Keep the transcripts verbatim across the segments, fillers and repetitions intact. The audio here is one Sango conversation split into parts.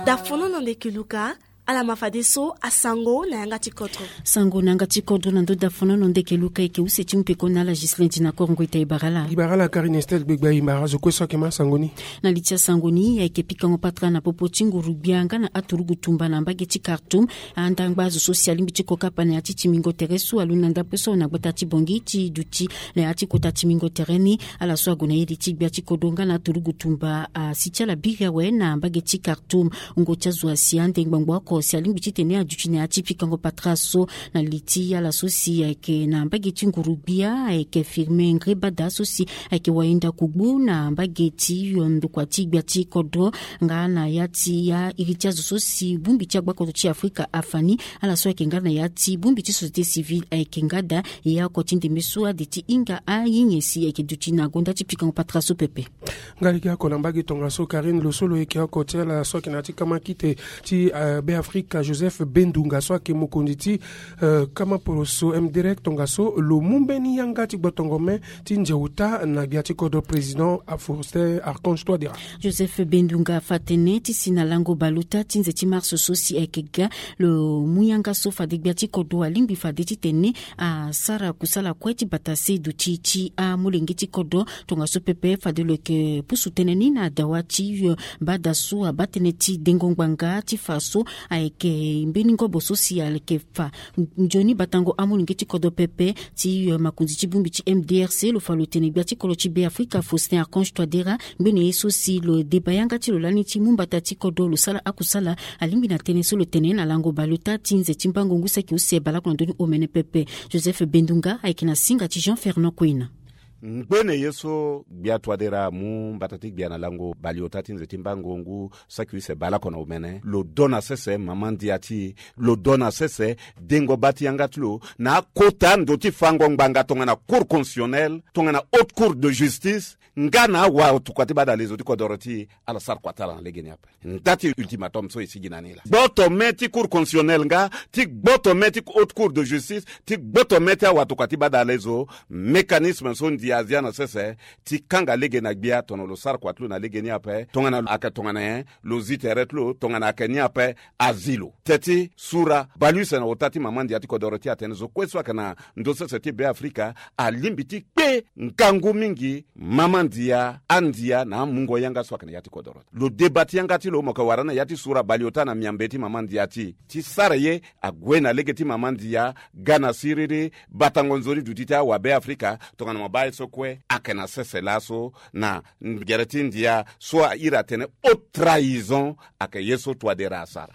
Dafono na ndeke luka. Ala ma fadeso asango na yanga ti kodro. Sango na yanga ti kodro na ndo dafono na ndeke luka eke use ti mupeko na ala Gislin dina korongo ita ibara ala. Ibara ala Karine Estel gbegba ibara zo kue so ake ma sango ni. Na li ti asango ni ayeke pikango patara na popo ti nguru gbia nga na aturugu tumba na mbage ti Khartoum. Andangba azo so si alingbi ti kokapa na ya ti timingo tere so aloni na ndapue so na gbata ti bongi ti duti na ya ti kota timingo tere ni. Ala so ague na iri ti gbia ti kodro nga na aturugu tumba asi ti ala biri awe na mbage ti Khartoum. Ngo ti azo asi ande ngbangbo oko si alingbi titene aduti na ya ti pikango patara so. Na li ti ala so si ayeke na mbage ti nguru gbia ayeke firme ngre bada so si ayeke wainda kugbu na mbage ti yo ndokua ti gbia ti kodro. Nga na ya ti ya iri ti azo so si bongbi ti agbakodro ti Afrika afa ni. Ala so ayeke nga na ya ti bongbi ti société civile ayeke nga daa. E ya oko ti ndembe so ade ti hinga aye nyen si ayeke duti na gonda ti pikango patara so pepe. Nga lege oko na mbage tongaso Karine lo so lo yeke oko ti ala so ayeke na ya ti kama kite ti Beafrika Joseph Bendunga so ayeke mokonzi ti kama poroso M D R tongaso lo mu mbeni yanga ti gbotongo me ti nze ota na gbia ti kodro président Faustin Archange Touadéra. Joseph Bendunga afa tënë ti si na lango baleota ti nze ti mars so si ayeke ga lo mu yanga so fade gbia ti kodro alingbi fade titene asara kusala kue ti bata se duti ti amolenge ti kodro. Tongaso pepe fade lo yeke pusu tënë ni na dawa ti bada so abaa tënë ti dengo ngbanga ti fa so ayeke mbeni ngobo so si ayeke fa nzoni batango amolenge ti kodro pepe. Ti makonzi ti bongbi ti M D R C lo fa lo tene gbia ti kodro ti Beafrika Faustin Archange Touadéra ngbene ye so si lo deba yanga ti lo lani ti mu mbata ti kodro lo sara akusala. Alingbi na tënë so lo tene na lango baleota ti nze ti mbango ngu saki use baleoko na ndö ni omene pepe. Joseph Bendunga ayeke na singa ti Jean Fernand Koina. Ngbene ye so gbia Touadéra amu mbata ti gbia na lango baleota ti nze ti mbango ngu saki use baleoko na omene lo do na sese mama ndia ti e. Lo do na sese dengo baa ti yanga ti lo na akota ndo ti fango ngbanga tongana Cour constitutionnelle tongana Haute Cour de justice nga na awatokua ti badalezo ti kodoro ti e. Ala sara kua ti ala na legeni ape. Nda ti ultimatum so e sigi na ni laa gboto me ti Cour constitutionnelle nga ti gboto me ti Haute Cour de justice ti gboto me ti awatokua ti badalezo. Mécanisme so ndia azia na sese ti kanga lege na gbia tongana lo sara kua ti lo na legeni ape tongana ayeke tongana nyen lo zi tere ti lo tongana ayeke ni ape. Azi lo te ti sura baleuse na ota ti mama ndia ti kodoro ti e atene zo kue so ayeke na ndö sese ti Beafrika alingbi ti kpe ngangu mingi mama ndia andia na amungo yanga so ayeke na ya ti kodoro. Lo deba ti yanga ti lo mo yeke wara ni na ya ti sura baleota na miambe ti mama ndia ti e ti sara ye ague na lege ti mama ndia ga na siriri batango nzoni duti ti awabe Afrika tongana mo baa ye so kue ayeke na sese laso na gere ti ndia so airi atene haute trahison. Ayeke ye so Touadéra asara.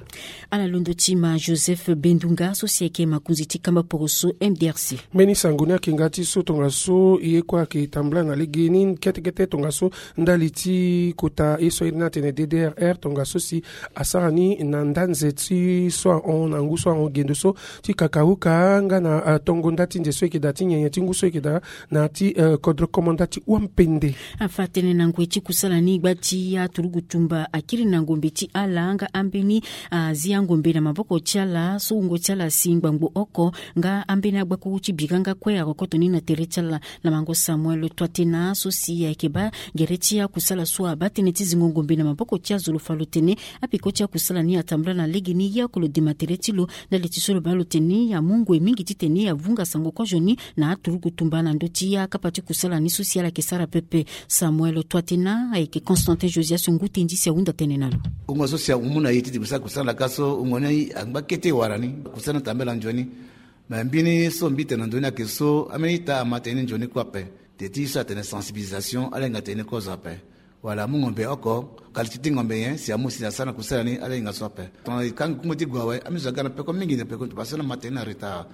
Ala londo ti ma Joseph Bendunga so si ayeke makonzi ti kamba poroso M D R C. Mbeni sango ni ayeke nga ti so tongaso ye kue ayeke tambula na legeni ketekete tongaso ndali ti kota ye so airi ni atene D D R R tongaso si asara ni na nda nze ti so ahon na ngu so ahon gendo so ti kakauka nga na tongo nda ti nze so eke daa ti nyenye ti ngu so eke daa na ya ti kodro komanda ti wampende. Afa tënë na ngoi ti kusala ni gba ti aturugu tumba akiri na ngombe ti ala nga ambeni azi angombe na maboko ti ala so wungo ti ala asi ngbangbo oko nga ambeni agbakuru ti bira nga kue arokoto ni na tere ti ala. Na mango Samuel Touatena so si ayeke baa gere ti akusala so abaa tënë ti zingo ngombe na maboko ti azo lo fa lo tene apeko ti akusala ni atambula na legeni ye oko lo dema tere ti lo. Ndali ti so lo baa lo tene amu ngoi mingi titene avunga sango kozo ni na aturugu tumba na ndö ti akapa ti kusala ni so si ala yeke sara pepe. Samuel Touatena ayeke Constantin Josias ngu tendi si ahunda tënë na lo. Wungo so si amu na e ti dibisa kusala ka so wungo ni angba kete wara ni kusala ni atambela nzoni. Me mbeni so mbi tene na ndö ni ayeke so ambeni ita ama tene ni nzoni kue ape. Te ti so atene sensibilisation ala hinga tene ni kozo ape. Wala amu ngombe oko qualité ti ngombe nyen si amu si asara na kusala ni ala hinga so ape. Tongana e kanga kungo ti gue awe ambeni zo aga na peko mingi na peko ti pasana ama tene ni na retard.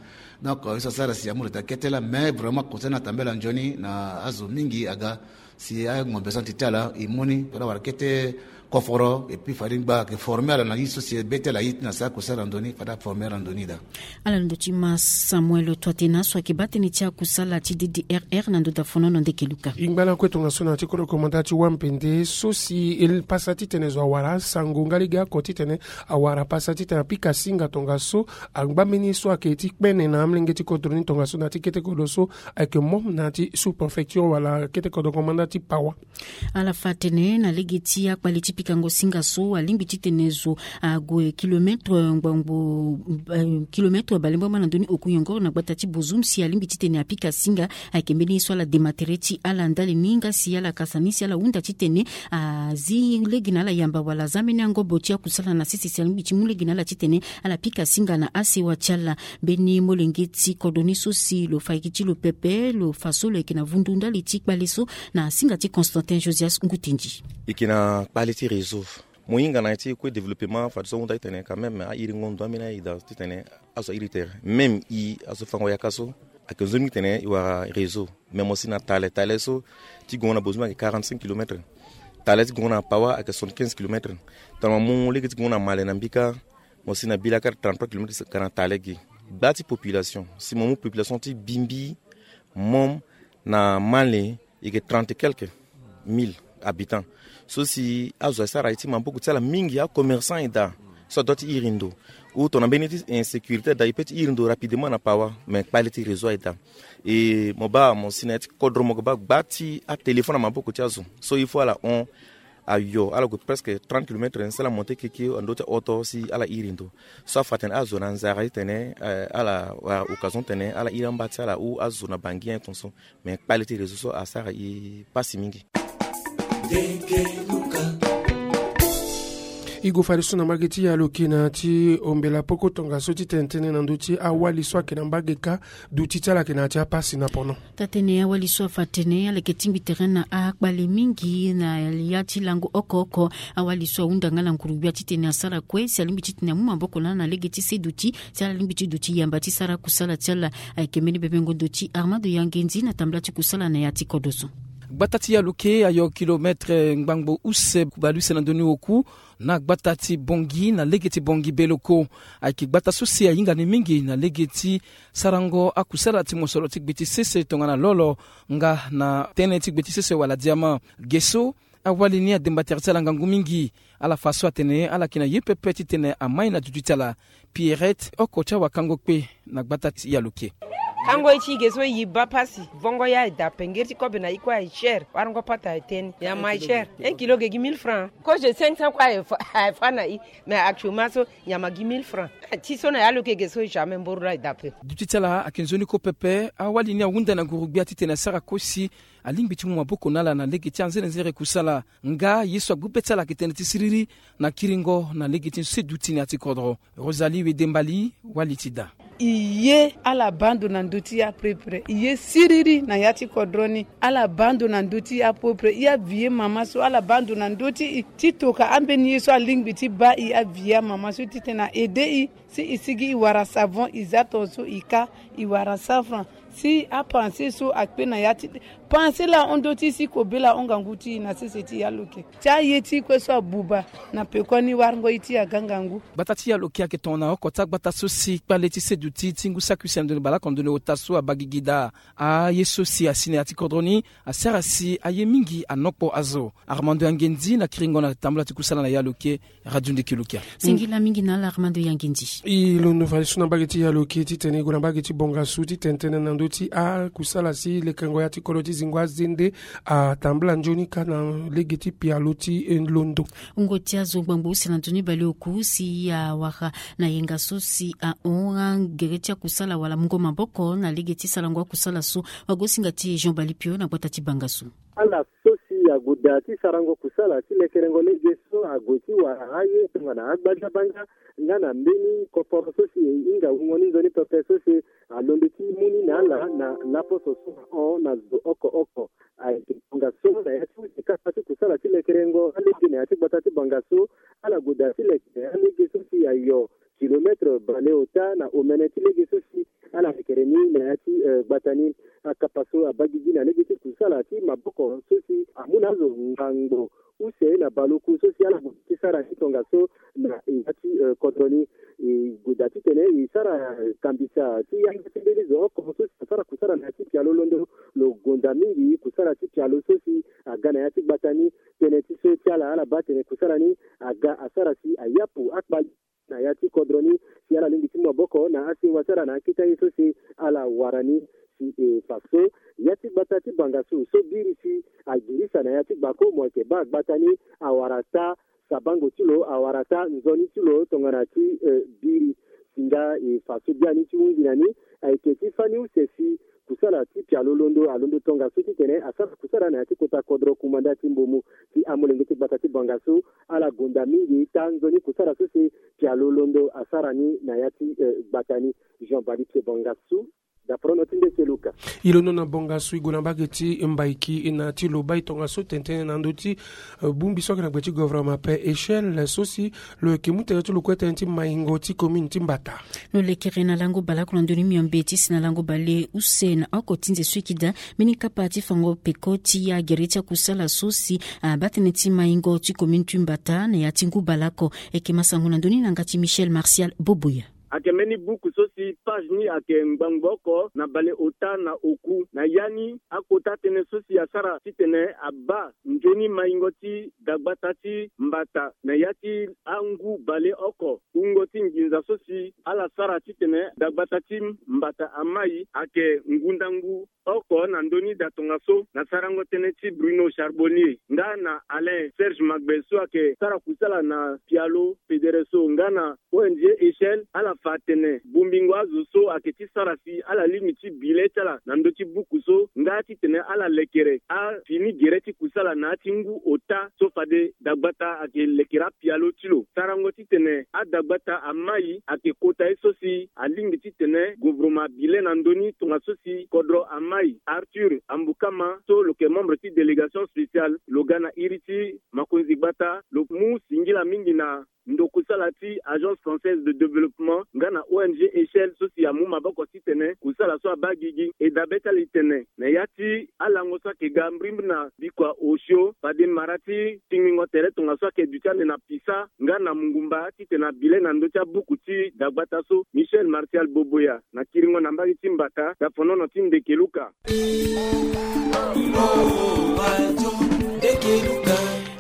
Donc ye so asara si amu retard kete laa mais vraiment kusala ni atambela nzoni na azo mingi aga si angombe so na ti ti ala e mu ni fade awara kete koforo et puis fade ngba ayeke former ala na ye so si e be ti ala ye ti na sara kusala na ndö ni fade aformer ala na ndö ni daa. Ala na ndo ti ma Samuel Touatena so ayeke baa tënë ti akusala ti D D R R na ndo dafono na ndeke luka. E ngba lakue tongaso na ya ti kodro komanda ti wampende so si e pasa titene zo awara asango nga lege oko titene awara pasa titene apika singa tongaso angba mbeni so ayeke ti kpene na amolenge ti kodro ni tongaso na ya ti kete kodro so ayeke mom na ya ti sous préfecture wala kete kodro komanda ti Pawa. Ala fa tënë na lege ti akpale ti Kango singa so alingbi titene zo ague kilometre ngbangbo, eh, kilometre bale mbamba na ndoni oku yongoro na gbata ti Bozum si alingbi titene apika singa. Ayeke mbeni ye so ala dema tere ti ala ndali ni nga si ala kasa ni si ala hunda titene azi lege na ala yamba wala aza mbeni angobo ti akusala na sese si alingbi ti mu lege na ala titene ala pika singa na asewa ti ala. Mbeni molenge ti kodro ni so si lo fa eke ti lo pepe lo fa so lo yeke na vundu ndali ti kpale so na singa ti Constantin Josias Ngutendi. E yeke na kpale ti réseau. Mo hinga na ya ti kue développement fadeso ahunda titene quand même ahiringo ndo ambeni aye daa titene azo airi tere. Même i azo fango yaka so ayeke nzoni titene e wara réseau. Mais mo si na tale tale so ti gongo na Bozum ayeke quarante-cinq kilomètres. Tale ti gongo na Pawa ayeke soixante-quinze kilomètres. Tongana mo mu lege ti gongo na Male na Mbika, mo si na Bilakar trente-trois kilomètres ka na tale gi. Gba ti population si mo mu population ti Bimbi, Mom na Male, e yeke trente et quelques mille habitants. So si azo asara aye ti maboko ti ala mingi, acommerçant aye daa so adua ti iri ndo. Ou tongana mbeni ti insécurité aye daa, e peut ti iri ndo rapidement na Pawa. Mais kpale ti réseau aye daa. E mo baa mo si na ya ti kodro mo yeke baa gba ti atéléphone na maboko ti azo. So il faut ala hon ayo, ala gue presque trente kilomètres si ala monté keke na ndö ti aoto si ala iri ndo. So afa atene azo na nzara titene, eh, ala wara occasion titene ala iri amba ti ala ou azo na Bangui, hein, ton so. Mais kpale ti réseau so asara e pasi mingi. E gue fadeso na mbage ti Yaloke na ya ti ombela poko tongaso ti tene tënë na ndö ti awali so ayeke na mbage kâ, duti ti ala ayeke na ya ti apasi na pono. Taa tënë awali so afa atene ala yeke tingbi tere na akpale mingi na ya ti lango oko oko. Awali so ahunda nga na nguru-gbia titene asara kue si alingbi titene amu maboko na ala na lege ti se duti si ala lingbi ti duti yamba ti sara kusala ti ala. Ayeke mbeni bebengo ndo ti Armando Yangendi na tambula ti kusala na ya ti kodro so. Gbata ti Yaloke ayo kilometre ngbangbo use bale use na ndö ni oku na gbata ti Bangui na lege ti Bangui Beloko. Ayeke gbata so si ahinga ni mingi na lege ti sarango akusala ti mosoro ti gbe ti sese tongana lolo nga na tënë ti gbe ti sese wala diama. Ge so awali ni ademba tere ti ala ngangu mingi. Ala fa so atene ala yeke na ye pepe titene amai na duti ti ala. Pierrette, oko ti awakango kpe na gbata ti Yaloke. Kango ye ti ge so e baa pasi. Vongo ya e daa pengeri ti kobe na i kue aye cher. Warango pata aye teni. Nyama aye cher. Un kilo ge gi mille francs. Kozo cinq cents kue aye fa, aye fa na i. Mais actuellement so nyama gi mille francs. Ti so na Yaloke ge so jamais mboro laa e daa pe. Duti ti ala ayeke nzoni kue pepe. Awali ni ahunda na nguru-gbia titene asara kue si alingbi ti mu maboko na ala na lege ti anzenenzere kusala. Nga ye so agbu be ti ala ayeke tënë ti siriri na kiringo na lege ti se duti na ya ti kodro. Rosalie Wedembali, wali ti daa. E ye ala baa ndo na ndö ti e aprépré. E ye siriri na ya ti kodro ni. Ala baa ndo na ndö ti e aprépré. E avié mama so ala baa ndo na ndö ti e ti toka ambeni ye so alingbi ti baa e avié amama so titene a aidé e. Si e sigi e wara savon e za tongaso e kâ e wara cent francs. Si apense so akpe na ya ti pense laa ahon ndö ti e si kobela ahon ngangu ti e na sese ti Yaloke. Ti aye ti e kue so abuba na pekoni warango ye ti e aga ngangu. Gbata ti Yaloke ayeke tongana oko ti agbata so si kpale ti se duti ti ngu saki use na ndoni baleoko na ndoni ota so abaa gigi daa. Aye so si asi na ya ti kodro ni asara si aye mingi anokpo azo. Armando Yangendi na kiringo na tambula ti kusala na Yaloke. Radio Ndiki Lukia. Singila mingi na ala Armando Yangendi. E londo fadeso na mbage ti Yaloke titene e gue na mbage ti Bongasu titene tënë na ndö ti akusala si lekengo ya ti kodro ti zingo azende atambula nzoni kâ na lege ti pialo ti londo. Wungo ti azo ngbangbo use na nzoni baleoku si awara na yenga so si ahon gere ti akusala wala mungo maboko na lege ti sarango akusala so. Wagosinga ti Jean Balipio na gbata ti Bangasu. Ala so si ague daa ti sarango kusala ti lekerengo lege so ague ti wara aye tongana agbadiabanga nga na mbeni koporo so si e hinga wungo ni nzoni pepe so si alondo ti mu ni na ala na laposo so ahon na zo oko oko. Ayeke tongaso na ya ti use kapa ti kusala ti lekerengo alege na ya ti gbata ti Bangasu. Ala gue daa ti leke alege so si ayo kilometre bale ota na omene ti lege so si ala lekere ni na ya ti, eh, gbata ni. Akapa so abaa gigi na lege ti kusala ti maboko so si amu na azo ngbangbo use na baleoku so si ala gue ti sara ni tongaso na ya ti, eh, kodro ni. E gue daa titene e sara, eh, kambisa ti yanga ti mbeni zo oko so si asara kusala na ya ti pialo londo lo gonda mingi kusala ti pialo so si aga na ya ti gbata ni. Tënë ti so ti ala ala baa atene kusala ni aga asara si ayapu akpali na ya ti kodro ni si ala lingbi ti mu maboko na asewa ti ala na akete aye so si ala wara ni. Si e fa so ya ti gbata ti Bangasu so biri si agirisa na ya ti gbako mo yeke baa gbata ni awara taa Sabango ti lo awara taa nzoni ti lo tongana ti biri. Singa e fa so biani ti hunzi na ni ayeke ti fani use si kusala ti pialo londo alondo tongaso titene asara kusala na ya ti kota kodro kumanda ti mbomu ti amolenge ti gbata ti bangaso. Ala gonda mingi taa nzoni kusala so si pialo londo asara ni na ya ti gbata ni. Jean Badi Pied Bangaso. Dapro no ti nde ti luka. E londo na bongaso e gue na mbage ti mbaiki na ti loba e tongaso tene tënë na ndö ti bongbi so ayeke na gbe ti governement pe echelle so si lo yeke mu tere ti lo kue tënë ti maingo ti commune ti mbata. Lo lekere na lango baleoko na ndö ni miombe ti si na lango baleuse na oko ti nze so e yeke daa mbeni kapa ti fango peko ti ya gere ti akusala so si abaa tënë ti maingo ti commune ti mbata na ya ti ngu baleoko. E yeke masango na ndö ni na yanga ti Michel Martial Boboya. Ayeke mbeni buku so si page ni ayeke ngbangbo oko na baleota na oku na ya ni. Akota tënë so si asara titene abaa nzoni maingo ti dagbata ti mbata na ya ti angu baleoko. Wungo ti nginza so si ala sara titene dagbata ti mbata amai ayeke ngundangu oko na ndö ni daa tongaso na sarango tënë ti Bruno Charbonnier nga na Alain Serge Magbe so ayeke sara kusala na pialo pedereso nga na O N G Echelle. Ala fa atene bongbingo azo so ayeke ti sara si ala lingbi ti bi le ti ala na ndö ti buku so nga titene ala lekere afini gere ti kusala na ya ti ngu ota so fade dagbata ayeke lekere apialo ti lo. Sarango titene adagbata amai ayeke kota ye so si alingbi titene govoroma abi le na ndö ni tongaso si kodro amai Arthur Ambukama so lo yeke membre ti délégation spéciale lo ga na iri ti makonzi gbata lo mu singila mingi na ndokusala ti Agence Française de Développement nga na O N G Echelle so si amu maboko titene kusala so abaa gigi. E dabe ti ala e tene na ya ti alango so ayeke ga mbrimbri na bikua osio fade mara ti tingbingo tere tongaso ayeke duti ande na pisa nga na mungumba titene abi le na ndö ti abuku ti dagbata so. Michel Martial Boboya na kiringo na mbage ti mbata dafonono ti ndeke luka.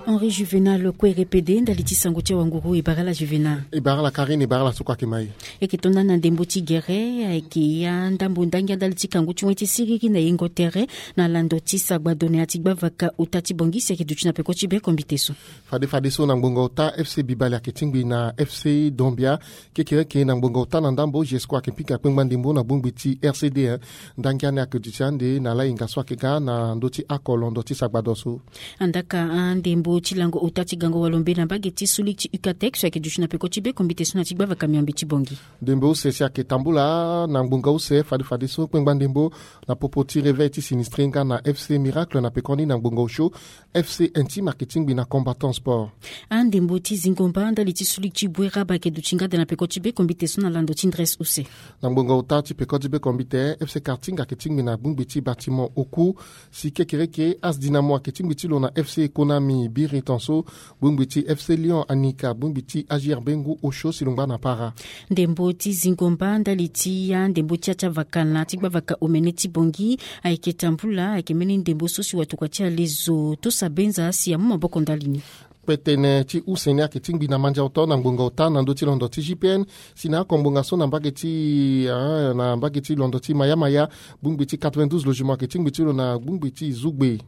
Henri Juvenal kue repede ndali ti sango ti awanguru. E bara ala Juvenal. E bara ala Karine, e bara ala so kue ayeke ma e. E yeke tonda na ndembo ti gere ayeke ya ndambo ndangia ndali ti kangu ti wen ti siriri na yengo tere na lando ti sagbado na ya ti gbavaka ota ti bongi si ayeke duti na peko ti be kombite so. Fade fadeso na ngbonga ota F C Bibale ayeke tingbi na F C Dombia. Kekereke na ngbonga ota na ndambo Jesco ayeke pika kpengba ndembo na bongbi ti R C D un. Ndangia ni ayeke duti ande na lahinga so ayeke ga na ndö ti oko londo ti sagbado so. Andaka andembo ti lango ota ti gango walombe na mbage ti suli ti Ucatec so ayeke duti na peko ti be kombite so na ti gbavaka miombe ti bongi. Ndembo use si ayeke tambula na ngbonga use fade fadeso kpengba ndembo na popo ti réveil ti sinistre nga na F C Miracle na pekoni na ngbonga osio. F C Intime ayeke tingbi na Combattant Sport. Andembo ti zingo mba ndali ti suli ti bue raba ayeke duti nga daa na peko ti be kombite so na lando ti ndres use. Na ngbonga ota ti peko ti be kombite F C Karting ayeke tingbi na bongbi ti bâtiment oku. Si kekereke As Dynamo ayeke tingbi ti lo na F C Konami biri tonso. Bongbi ti F C Lyon anika bongbi ti A J R Bengu osio si lo ngba na para. Ndembo ti zingo mba ndali ti ya ndembo ti ya ti avaka na ti gbavaka omene ti bongi ayeke tambula ayeke mbeni ndembo so si watokua ti alezo tosa benza si amu maboko ndali ni. Kpetene ti use ni ayeke tingbi na mandia oto na ngbonga ota na ndö ti londo ti G P N. Si na oko ngbonga so na mbage ti ah, na mbage ti londo ti Maya Maya bongbi ti quatre-vingt-douze logement ayeke tingbi ti lo na bongbi ti zugbe.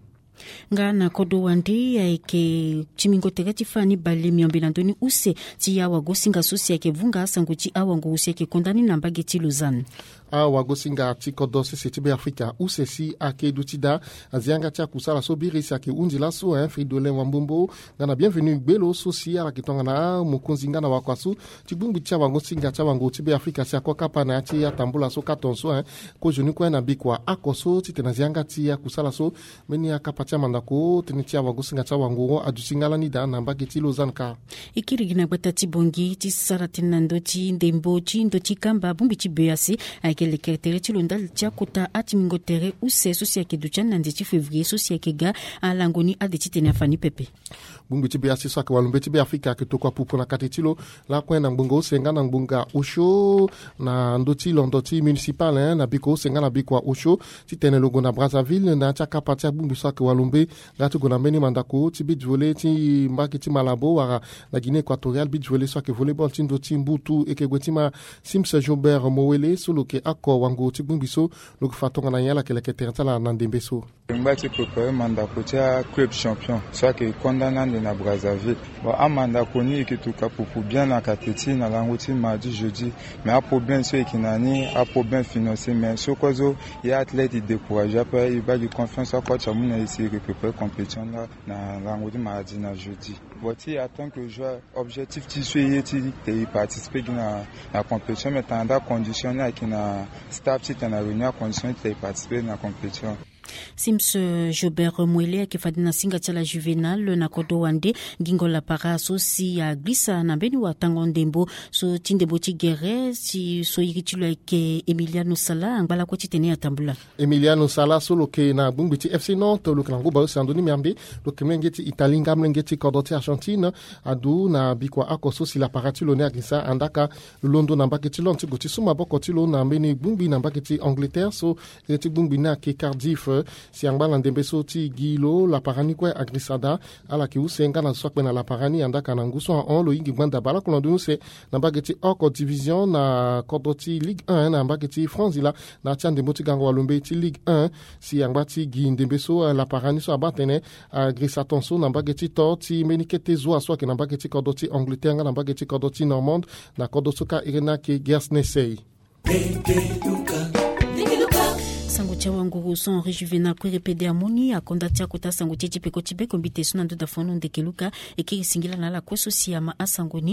Nga na kodro wande ayeke timingo tere ti fani bale miombe na ndö ni use ti awagosinga so si ayeke vunga asango ti awanguru si ayeke konda ni na mbage ti Lausanne. Awagosinga ti kodro sese ti Beafrika use si ayeke duti daa azi yanga ti akusala so biri si ayeke hunzi laso hein Fridolin Wambombo nga na Bienvenu Gbelo so si ala yeke tongana amokonzi nga na wakua so ti bongbi ti awagosinga ti awanguru ti Beafrika si akua kapa na ya ti atambula so kâ tonso hein. Kozoni kue na bikua oko so titene azi yanga ti akusala so. Mbeni akapa ti amandako tënë ti awagosinga ti awanguru aduti nga lani daa na mbage ti Lausanne kâ. E kiri gi na gbata ti bongi ti sara tënë na ndö ti ndembo ti ndö ti kamba bongbi ti B E A C ayeke lekere tere ti lo ndali ti akota atimingo tere use so si ayeke duti ani na nze ti février so si ayeke ga. Alango ni ade titene afa ni pepe. Bongbi ti B E A C so ayeke walombe ti Beafrika ayeke tokua pupu na kate ti lo lakue na ngbonga use nga na ngbonga osio na ndö ti londo ti municipal hein na bikua use nga na bikua osio. Titene lo gue na Brazzaville na ya ti akapa ti abongbi so ayeke walombe nga ti gue na mbeni mandako ti beach volley ti mbage ti Malabo wala na Guinée Équatoriale beach volley so ayeke volleyball ti ndö ti mbutu eke gue ti ma Sims Joubert Mowele so lo yeke oko wanguru ti bongbi so. Lo yeke fa tongana nyen ala yeke leke tere ti ala na ndembe so. Lingba ti prépare mandako ti aclub champion so ayeke konda ni ande na Brazzaville. Bon, amandako ni eke tuka pupu bien na kate ti na lango ti mardi jeudi. Mais aproblème so eke na ni aproblème financier, mais so kozo ye athlète e décourage ape, e baa gi confiance akoa ti amu na e si e ke prépare compétition la na lango ti mardi na jeudi. Bon, ti en tant que joueur, objectif ti so e ye ti te e participer gi na compétition, mais tana daa condition ni ayeke na staff ti tana réunion acondition ti te e participer na compétition. Sims Jobert Moele ayeke fade na singa ti ala juvénal na kodro wande. Gingo lapara so si agirisa na mbeni watango ndembo so ti ndembo ti gere ti so iri ti lo ayeke Emiliano Sala angba lakue titene atambula. Emiliano Sala so lo yeke na gbongbi ti FC Nantes, lo yeke na ngu baleuse na ndö ni miambe. Lo yeke molenge ti Italie nga molenge ti kodro ti Argentine. Adu na bikua oko so si lapara ti lo ni agirisa, andaka londo na mbage ti Londres ti gue ti su maboko ti lo na mbeni gbongbi na mbage ti Angleterre so iri ti gbongbi ni ayeke Cardiff. Si angba na ndembe so ti gi lo lapara ni kue agirisa daa. Ala yeke use nga na zo so akpe na lapara ni, andaka na ngu so ahon lo yingi gbanda baleoko na ndö ni use na mbage ti oko division na kodro ti Ligue un na mbage ti France laa, na ya ti andembo ti gango walombe ti Ligue un. Si angba ti gi ndembe so, eh, lapara ni so abaa atene agirisa ton so na mbage ti to ti mbeni kete zoa so ayeke na mbage ti kodro ti Angleterre nga na mbage ti kodro ti Normande, na kodro so kâ iri ni ayeke Guernsey. Sango ti awanguru so Henri Juvénal Kouéré pede amoni akonda ti akota sango ti e ti peko ti bekombite so na ndö da fono ndeke luka. E kiri singila na ala kue so si ama asango ni.